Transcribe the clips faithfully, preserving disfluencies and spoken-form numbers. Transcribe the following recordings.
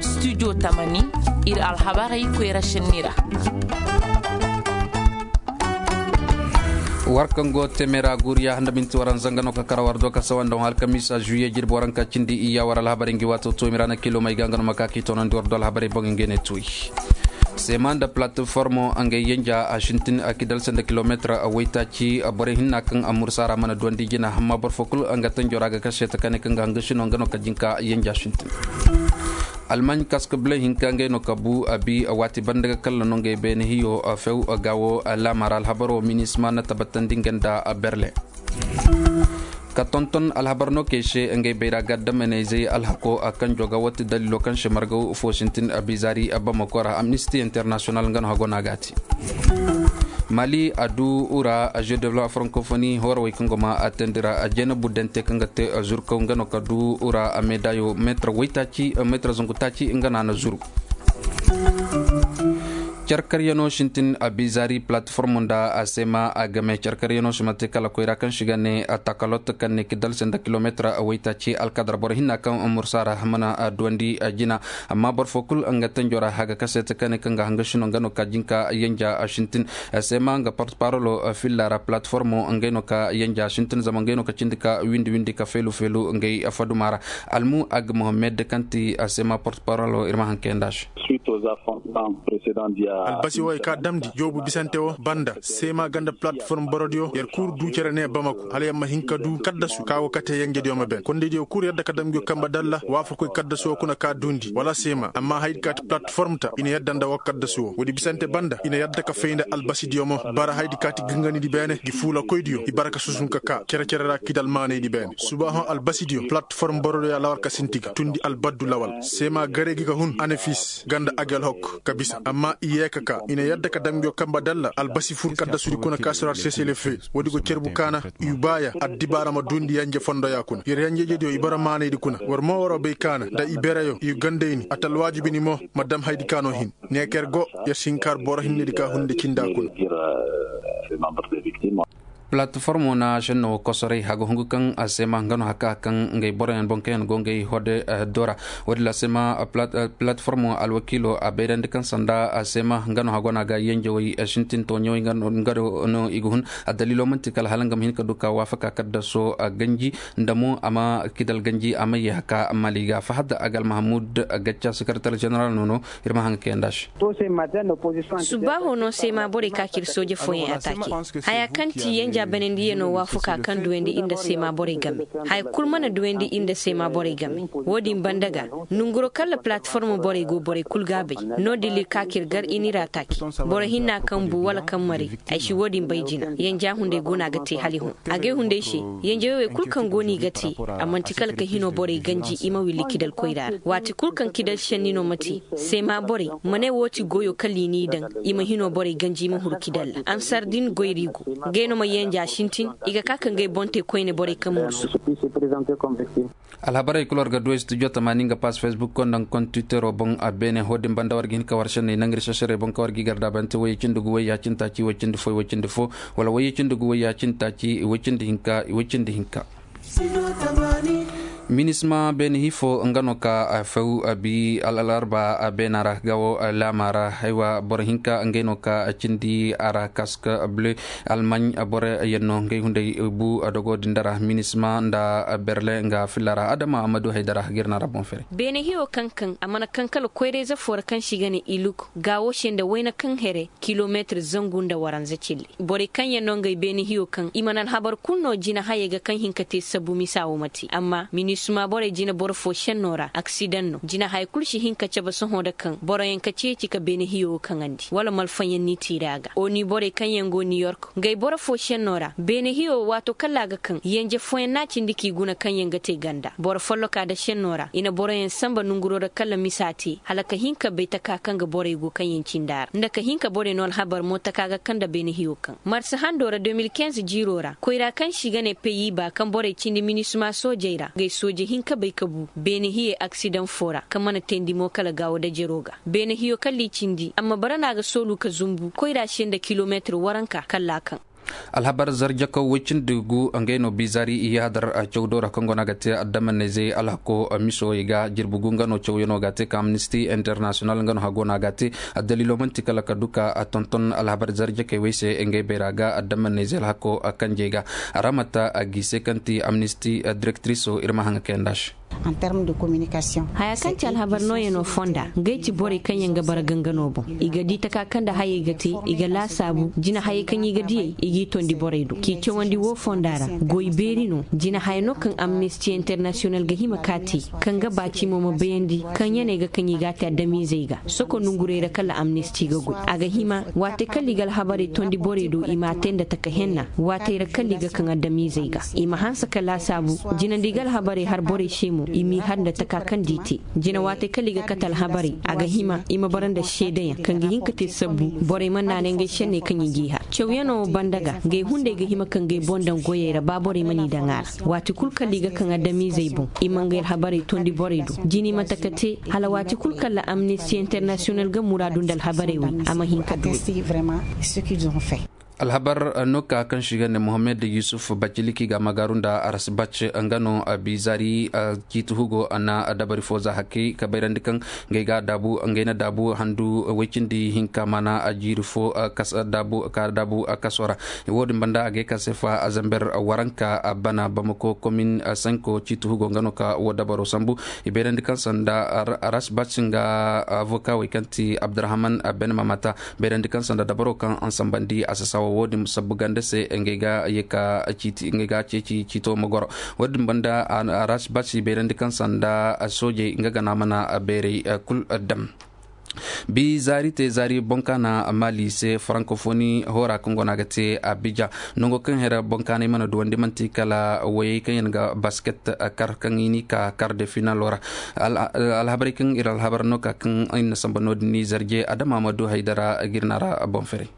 Studio tamani, ir alhabarey koyra senni ra. War kaŋ go teme ra guuriya handa minti waranza nga no ka kara war do ka sawa nda alkamiisa juye jirbi waranka cindi iyya war alhabarey ngi waato toomi ra na kilo may ga nga no ma ka k'i toonandi war do alhabarey boŋ ngey ne tooyi. Seema nda platformo ngey yenja a sintin a kidal se nda kilometir waytaaci borey hinna kaŋ a mursa ra mana duwandi jina amma boro fo kulu nga tanjo ra ga kase ta kane kaŋ ga hanga sino nga no ka jinka yenja sintin. Almaɲ kaska bile hinka ngey no ka bu a bi waati banda ga kalla no ngey beene hiyo few gaawo laama ra alhabaro minisma na tabbatandi nga nda berle. Ka tonton alhabar no kay se ngey bayra ga addamaney zey alhako a kanjo ga wati dalilo kaŋ se margaw fo sintin a bizari a bamako ra amnisti international nga no hago no a ga a te. Mali a du ura a jeu de la francophonie horawey kaŋ go ma a teendi ra a jeena buddante kaŋ ga te zurkaw nga no ka du ura a medayo meetar waytaaci meetar zangu taaci nga no a na zuru. Carkaryano sintin a bizari platform nda a sema a game carkaryano si mate kala koyra kaŋ si ga ne a takalot kaŋ ne kidal se nda kilometra a waytaaci alkadar boro hinna kaŋ mursa ra mana a duwandi a jina. Amma boro fo kul nga tanjo ra haga kasete kaŋ ne kaŋ ga hanga sino nga no ka jinka yanja a sintin a sema nga porte parolo filla ra platformo ngey no ka yanja a sintin zama ngey no ka cindi ka windi windi ka felu felu ngey faduma ra. Almu ag mohammed kaŋ ti a sema porte parolo ir ma haŋ kayanda se. Albasi wo ay ka damndi joobu bisante wo banda seema ganda platform borodiyo yer kul du cere ne bamako hala yer ma hin ka du kaddasu ka go kate yenjediyo ma ben kondediyo kul yadda ka dam ngiyo kamba dalla waafakoy kaddasu wo kuna ka duundi wala seema amma haydi ka ti platform ta i na yadda nda wo kaddasu wo woodi bisante banda i na yadda ka fay nda albasidiyo mo bara haydi ka ti ganganidi beene ngi fuulakoydiyo i bara ka susun ka ka cere-cere ra kidal maanaydi beene subaahoŋ albasidiyo platform borodiyo alawar ka sinti ga tundi albaddu lawal seema gare gi ga hun anafis ganda agel hok ka bisa amma i yee ka ka i na yadda ka dam ngiyo kamba dalla albasi fur kaddasudi kuna ka sira seselefe woodi go cerbu kaana i baaya addibaara ma duundi yanje fondoya kuna yer yanjejediyo i bara maanaydi kuna war mo waro bay kaana nda i bereyo i gandayni a ta alwaajibini mo ma dam haydi kaano hin ne ka yer go yer si hin ka har boro hinnedi ka hunde cinda kuna. Platformo na senno kosoray haga hungu kaŋ a sema nga no haka kaŋ ngey boroyaŋ boŋ kaŋ yaŋ go ngey hode dora. Woodin la sema platformo alwakiilo a bayrandi kaŋ sanda a sema nga no hago no a ga yenjewey sintin toɲewey nga no i ga hun. A daliilo man'ti kala hala nga ma hin ka du ka waafaka kaddaso ganji nda mo a ma kidal ganji a ma ye haka mali ga fahad agal mahamud gacca sekretar jeneral no no. Ir ma haŋ kayanda se. Subaaho no seema borey ka kir sooje fooyaŋ ataake. Haya kaŋ ti yenja banandiyanoo waafakaa kaŋ duwandi ir nda seema borey game. Haya kul mana duwandi ir nda seema borey game. Woodin banda ga nonguroo kaŋ ra palatform borey go borey kul ga a bay. No-din ir ka kir gar ir n'ir ataake. Boro hinna kaŋ bu wala kaŋ maray. Ay si woodin bay jina yenja hunday go no a ga te hala i hõ. Agay hunday se yenjawey wey kul kaŋ go no i ga te. A man'ti kala ka hinoo borey ganji i ma willi kidal koyra ra waati kul kaŋ kidal senni no ma te. Seema borey ma ne woo ti goyoo kala i n'i daŋ. I ma hinoo borey ganji i ma huru kidal ra ansar din goyri go. Ngey no ma yenja sintin. I ga ka ka ngey boŋ te koyne borey kaŋ mursu. Alhabarey kul war ga du ay studio tamaani nga pass facebook ko nda nga kontiwiteroo boŋ a beene hoodin banda war ga hin ka war senney nangir sesarey boŋ ka war ga i gardaabante woyey cindi gu woyey ya cindi taaci woy cindi fo woy cindi fo. Wala woyey cindi gu woyey ya cindi taaci woy cindi hinka woy cindi hinka. Minisma beene hifo nga no ka few bi alarba beena ra gawo laama ra haywa boro hinka ngey no ka cindi a ra kaska ble. Almaɲ boro yaŋ no ngey hunday bu dogo din dara minisma nda berle nga filla ra adama amadu haydara girna ra boŋ fere. Beene hiyo kaŋ kaŋ a mana kaŋ kala koyrayze fo ra kaŋ si ga ne iluk gawo se nda wayna kaŋ here kilometir zangu nda waranza cille. Borey kaŋ yaŋ no ngey beene hiyo kaŋ i mana alhabar kulu no jina hayey ga kaŋ hin ka te sabu misa wo ma te amma minisma borey jina boro fo senno ra aksidaŋ no jina haya kulu si hin ka cabe sohõ nda kaŋ boroyaŋ ka ceeci ka beene hiyo wo kaŋandi wala malfaŋ yaŋ n'i tiiri a ga oni borey kaŋ yaŋ go niyork ngey boro fo senno ra beene hiyo wo waato kala a ga kaŋ yanje fooyaŋ no a cindi k'i guna kaŋ yaŋ ga te ganda boro folloka nda senno ra i na boroyaŋ sanba nonguroo ra kala misa te hala ka hin ka bay taka kaŋ ga borey go kaŋ yaŋ cindi a ra nda ka hin ka borey no alhabar mo taka ga kaŋ nda beene hiyo kaŋ marsa hando ra de mil kinze jiiroo ra koyra kaŋ se i ga ne peyiba kaŋ borey cindi minisma soojey ra ngey sooje hinka bay ka bu beene hiyey aksidaŋ foo ra kaŋ mana teendi mo kala gaawo dajeroo ga beene hiyo kala i cindi amma bara no a ga soolu ka zumbu koyra se nda kilometir waranka kala a kaŋ. Alhabar zarjakaw woy cindi gu ngey no bizari i yahadar cawdo ra kaŋ go no a ga te addamaney zey alhako misowey ga jirbi gu nga no cawyanoo ga a te ka amnisti international nga no hago no a ga a te. Addaliilo man'ti kala ka du ka tonton alhabar zarjakey wey se ngey bayra ga addamaney zey alhako kanjey ga. Ramata a g'i se kaŋ ti amnisti direktriso ir ma haŋa kayanda se. Haya kaŋ ti alhabar nooyanoo fonda, ngey ti borey kaŋ yaŋ ga bara gangano boŋ. I ga di taka kaŋ nda hayey ga te, i ga laasaabu jina hayey kaŋ i ga diyey, i g'i tondi borey do k'i cawandi woo fonda ra. Goy beeri no. Jina haya no kaŋ amnisti internasiyonal ga hima k'a te, kaŋ ga baaci mo ma bayandi kaŋ yaney ga kaŋ i g'a te adamiizey ga. Soko nongurey ra kala amnisti ga goy a ga hima waatey kala i ga alhabarey tondi borey do i m'a te nda taka henna. Waatey ra kala i ga kaŋ adamiizey ga, i ma hanse ka laasaabu jina nda i ga alhabarey har borey se mo i m'i har nda taka kaŋ nda i te. Jina waatey kala i ga kate alhabarey a ga hima i ma bara nda seedeyaŋ kaŋ ga hin ka te sabbu borey mana naanay ngey senney kaŋ i g'i har. Cawyanoo wo banda ga ngey hunday ga hima ka ngey boŋ daŋ goyey ra ba borey mana i daŋ a ra. Waati kul kala i ga kaŋ adamiizey boŋ, i ma ngey alhabarey tondi borey do. Jina i ma taka te hala waati kul kala amnisti internasiyonal ga muraadu nda alhabarey wey a ma hin ka du. Alhabar no ka kaŋ si ga ne mohammed yusuf baciliki ga magaaru nda aras bac nga no bizari ciiti hugo na dabari fo za hakki ka bayrandi kaŋ ngey ga daabu ngey na daabu handu way cindi hinka maana jiiri fo ka daabu kaso ra. Wo-din banda a ga ay ka se fa zamber waranka bana bamako komin sanko ciiti hugo nga no ka wo dabaro sambu. I bayrandi kaŋ sanda aras bac nga avoka wey kaŋ ti abdurahman ben mamata. Bayrandi kaŋ sanda dabaro kaŋ a sambandi a sasawa wo-din sabbu ganda se ngey ga ye ka ciiti ngey ga ceeci ciito ma goro. Wo-din banda aras bac i bayrandi kaŋ sanda soojey nga gana mana bayray kul dam. Bi zaari te zaari boŋ kaŋ a na maali se farankofoni hoora kaŋ go no a ga te abijan. Nango kaŋ hera boŋ kaanay mana duwandi manti kala wayey kaŋ yaŋ ga basket kar kaŋ i n'i ka kar de finalo ra. Alhabarey kaŋ ir alhabar no ka kaŋ ir na samba no-din ni zarje adama ma du haydara ga ir na ra boŋ ferey.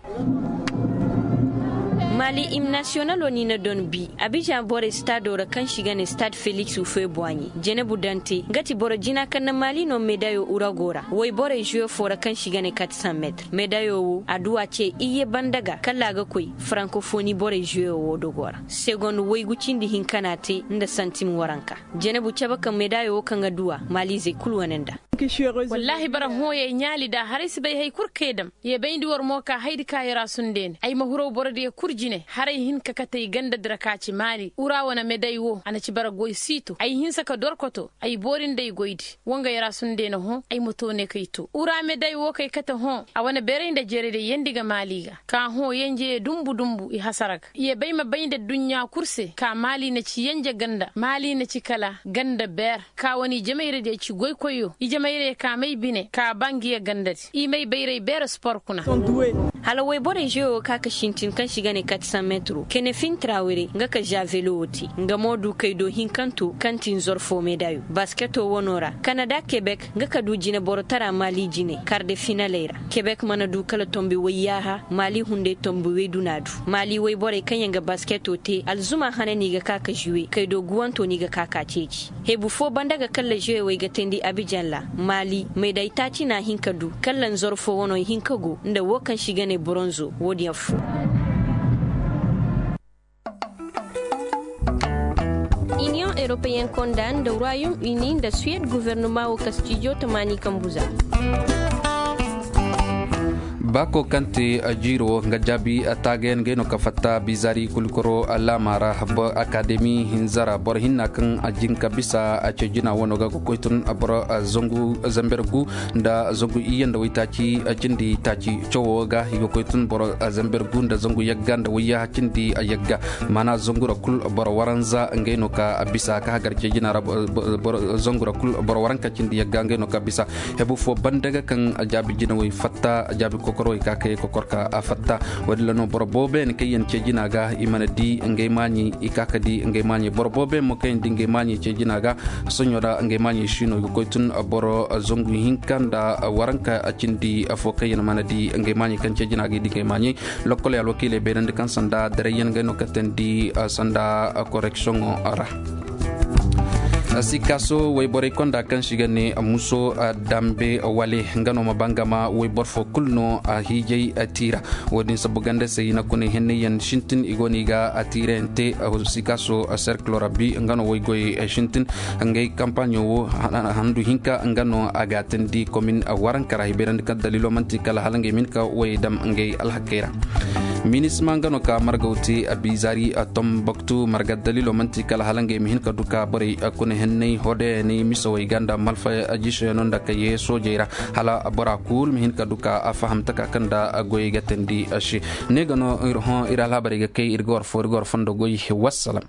Maali im nasiyonalo ni na don bi abijan borey staado ra kaŋ si ga ne staad felix ufebuwaɲi jenebu dante nga ti boro jina kaŋ na maali no medayo urago ra woy borey zuwe fo ra kaŋ si ga ne kat san meetir medayo wo a duwa ce iyye banda ga kala a ga koy farankofoni borey zuwe wo dogo ra. Segond waygu cindi hinka no a te nda santim waranka. Jenebu cabe kaŋ medayo wo kaŋ a duwa maalizey kulu wane nda. Wallaahi bara hõoyey ɲaali da haray si bay hay kul kaŋ ay dam. Ye bayndi war mo ka haydi ka yara sundeene ay ma huraw borodiyo kul jine haray hin ka kate ay ganda dira ka ci maali ura wane meday wo a na ci bara goy siito ay hinsa ka dorkoto ay boori nda ay goydi. Wo nga yara sundeene hõ ay ma to ne kay to ura meday wo kay kate hõ a wane beeray nda jerediyo yeendi ga maali ga ka hõ yenjeye dumbu dumbu i hasara ga ye bay ma bay nda adduɲɲa kul se ka maali na ci yenje ganda maali na ci kala ganda beer. Ka wane ijemayradiyo ci goykoyyo ijemayradiyo ka may bine ka ba ngiya gandadi i may bayray beere spor kuna. Hala woyborey žewo ka ka sintin kaŋ si ga ne kati san metro kene fin trawere nga ka žavelo wo te nga mo du kay do hinkanto kaŋ ti nzor fo medayo basketo wano ra kanada kebek nga ka du jineboro tara mali jine karde finaley ra. Kebek mana du kala tombi woyyaaha mali hunday tombi woy duna du. Mali woyborey kaŋ yaŋ ga basketo te alzuma hane no i ga ka ka žuwe kay do guwanto no i ga ka ka ceeci. Hebu fo banda ga kalla žuwewey ga teendi abijan ra. Maali meeday taaci na a hin ka du kalla nzoro fo wano hin ka go nda wo kaŋ si ga ne boronzo wo-din affo. Iniyoŋ europeyen konda nda royaume uni nda suwed guvernuma wo kastijo tamaani kambu za. Baako kaŋ te jiiro wo nga jaabi taagayaŋ ngey no ka fatta bizaari kulikoro laama ra. Akademi hinza ra boro hinna kaŋ a jin ka bisa a ce jina wano ga ga koy tun boro zangu zamber gu nda zangu iyye nda waytaaci cindi taaci cawo ga i ga koy tun boro zamber gu nda zangu yagga nda wayyaha cindi yagga. Maana zangu ra kul boro waranza ngey no ka bisa ka hagar ce jina ra zangu ra kul boro waranka cindi yagga ngey no ka bisa. Hebu fo banda ga kaŋ jaabi jinawey fatta jaabi kokorowey ka kay kokor ka a fatta. Wo-din ra no boro boobo yaŋ kaŋ yaŋ ce jina ga i mana di ngey maaɲi i ka ka di ngey maaɲi boro boobo yaŋ mo kaŋ yaŋ di ngey maaɲi ce jina ga. Soɲo ra ngey maaɲi siino i ga koy tun boro zangu hinka nda waranka cindi fo kaŋ yaŋ mana di ngey maaɲi kaŋ ce jina ga i di ngey maaɲi. Lokkoley alwakiiley bayrandi kaŋ sanda darayyaŋ ngey no ka teendi sanda koreksiyoŋo ra. Sikaso wayborey konda kaŋ si ga ne muso dambe wale nga no ma bangama waybor fo kulu no a hiijay tiira. Wo-din sabu ganda se i na kuna henney yaŋ sintin i go no i ga a tiirayaŋ te. Sikaso serkilo rabbi nga no waygoy sintin. Ngey kampaɲo wo handu hinka nga no a ga a tindi komin warankara hibayrandi kaŋ dalilo manti kala hala ngey ma hin ka way dam ngey alhakey ra. Minisma nga no ka margaw te a bizari a tomboktu marga dalilo manti kala hala ngey ma hin ka du ka borey kuna henney hodeyaney misawey ganda malfa jiseyano nda ka ye soojey ra hala bora kul ma hin ka du ka a faham taka kaŋ da goyey ga tandi se. Ne ga no ir alhabarey ga kay ir ga war fo ir ga war fondo goy. Wassalam.